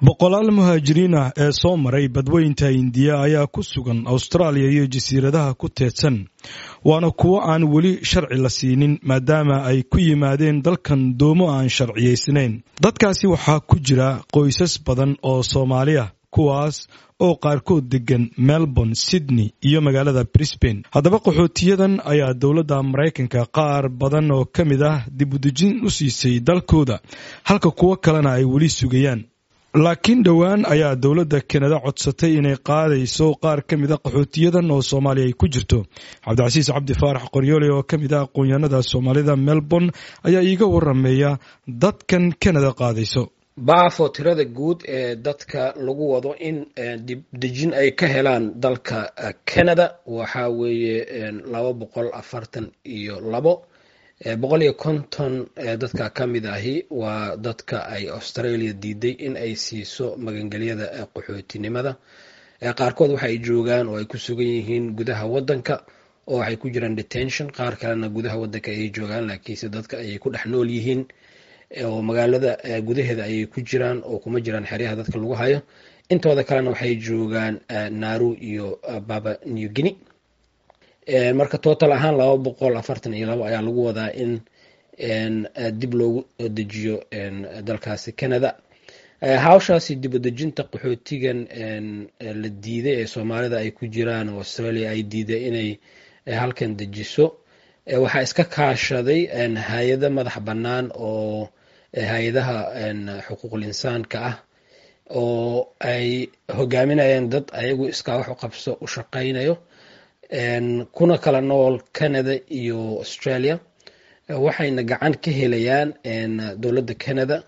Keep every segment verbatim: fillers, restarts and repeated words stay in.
Boqolaal muhaajiriin ah ee soo maray badweynta Hindiya ayaa ku sugan Austraaliya iyo jasiiradaha ku teedsan, waana kuwo aan weli sharci la siinin maadaama ay ku yimaadeen dalkan doomo aan sharciyaysnayn. Dadkaasi waxaa ku jira qoysas badan oo Soomaali ah, kuwaas oo qaarkood degan Melbourne, Sydney iyo magaalada Brisbane. Haddaba qaxootiyadan ayaa dowladda Maraykanka qaar badan oo ka mid ah dibudejin u siisay dalkooda, halka kuwo kalena ay weli sugayaan. Laakiin dhowaan ayaa dowladda Kanada codsatay inay qaadayso qaar ka mid a qaxootiyadan oo Soomaaliya ay ku jirto. Cabdicasiis Cabdi Faarax Qoryoole oo ka mid ah aqoon-yahanada Soomaalida Melbourne ayaa iiga warameeya dadkan Kanada qaadayso. Baafo, tirada guud ee dadka lagu wado in dibdejin ay ka helaan dalka Canada waxaa weeye laba boqol afartan iyo labo. Boqol iyo konton dadka ka mid ahi waa dadka ay Australia diiday in ay siiso magangelyada qaxootinimada. Qaarkood waxa ay joogaan oo ay ku sugan yihiin gudaha wadanka oo waxay ku jiraan detention, qaar kalena gudaha wadanka ayay joogaan, laakiinse dadka ayay ku dhex nool yihiin oo magaalada gudaheeda ayay ku jiraan oo kuma jiraan xeryaha dadka lagu hayo. Intooda kalena waxay joogaan Nauru iyo Papua New Guinea. Marka total ahaan laba boqol afartan iyo labo ayaa lagu wadaa in dib loogu dejiyo dalkaasi Canada. Hawshaasi dib u dejinta qaxootigan la diiday ee Soomaalida ay ku jiraan oo Australia ay diiday inay halkan dejiso waxaa iska kaashaday hay-ado madax bannaan oo hay-adaha xuquuqul insaanka ah oo ay hogaaminayaan dad ayagu iskaa wax u qabso u shaqaynayo, kuna kala nool Canada iyo Australia. Waxayna gacan ka helayaan dowladda Canada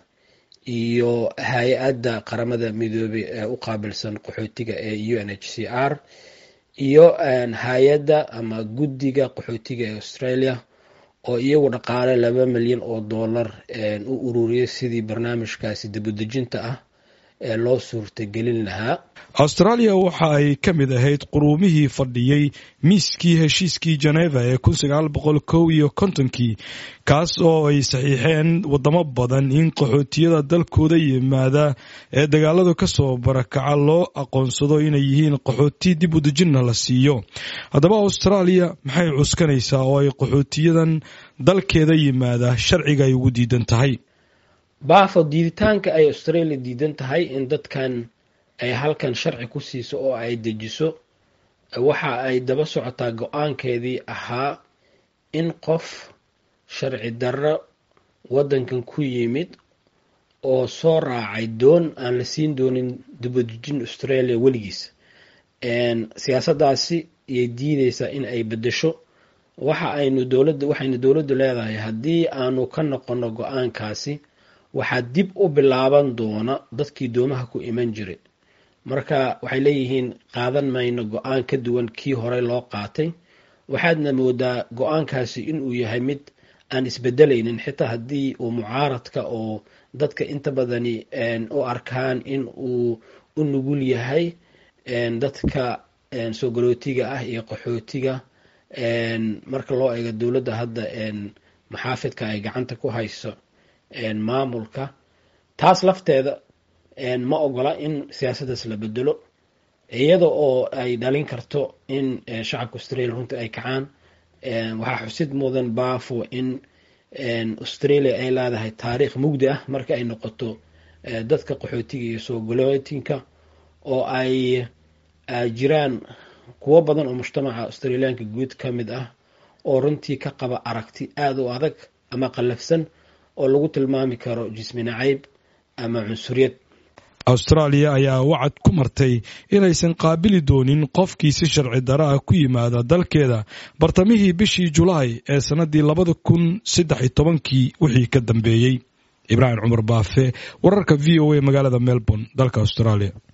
iyo hay-adda Qaramada Midoobey ee u qaabilsan qaxootiga ee U N H C R iyo hay-adda ama guddiga qaxootiga ee Australia, oo iyagu dhaqaale laba milyan oo dollar u ururiyay sidii barnaamijkaasi dibudejinta ah ee loo suurtagelin lahaa. Austraaliya waxa ay ka mid ahayd quruumihii fadhiyey miiskii heshiiskii Geneva ee kun sagaal boqol kow iyo kontonkii, kaas oo ay saxiixeen wadamo badan in qaxootiyada dalkooda yimaada ee dagaaladu ka soo barakaca loo aqoonsado inay yihiin qaxooti, dib u dejinna la siiyo. Haddaba Austraaliya maxay cuskanaysaa oo ay qaxootiyadan dalkeeda yimaada sharciga ay ugu diidan tahay? Baafo, diiditaanka ay Australia diidan tahay in dadkan ay halkan sharci ku siiso oo ay dejiso waxa ay daba socotaa go-aankeedii ahaa in qof sharci darro waddankan ku yimid oo soo raacay doon aan la siin doonin dibadejin Australia weligiis. Siyaasaddaasi iyay diideysaa in ay beddesho. Waxa aynu dowladda waxaynu dowladdu leedahay, haddii aanu ka noqono go-aankaasi, waxaa dib u bilaaban doona dadkii doomaha ku iman jiray. Marka waxay leeyihiin, qaadan mayno go-aan ka duwan kii horey loo qaatay. Waxaadna moodaa go-aankaasi inuu yahay mid aan isbedelaynin, xitaa haddii uu mucaaradka oo dadka inta badani u arkaan in uu u nugul yahay dadka soo galootiga ah iyo qaxootiga marka loo eego dowladda hadda maxaafidka ay gacanta ku hayso maamulka. Taas lafteeda ma ogola in siyaasaddaas la bedelo, iyada oo ay dhalin karto in shacabka Australia runtii ay kacaan. Waxaa xusid mudan, Baafo, in Australia ay leedahay taariikh mugdi ah marka ay noqoto dadka qaxootiga iyo soo galootinka, oo ay jiraan kuwo badan oo mujtamaca Australiyaanka guud ka mid ah oo runtii ka qaba aragti aada u adag ama qallafsan oo lagu tilmaami karo jismi nacayb ama cunsuriyad. Austraaliya ayaa wacad ku martay inaysan qaabili doonin qofkii si sharci daro ah ku yimaada dalkeeda bartamihii bishii Julaay ee sannaddii labada kun saddex iyo tobankii wixii ka dambeeyey. Ibraahim Cumar Baafe, wararka V O A, magaalada Melbourne, dalka Australia.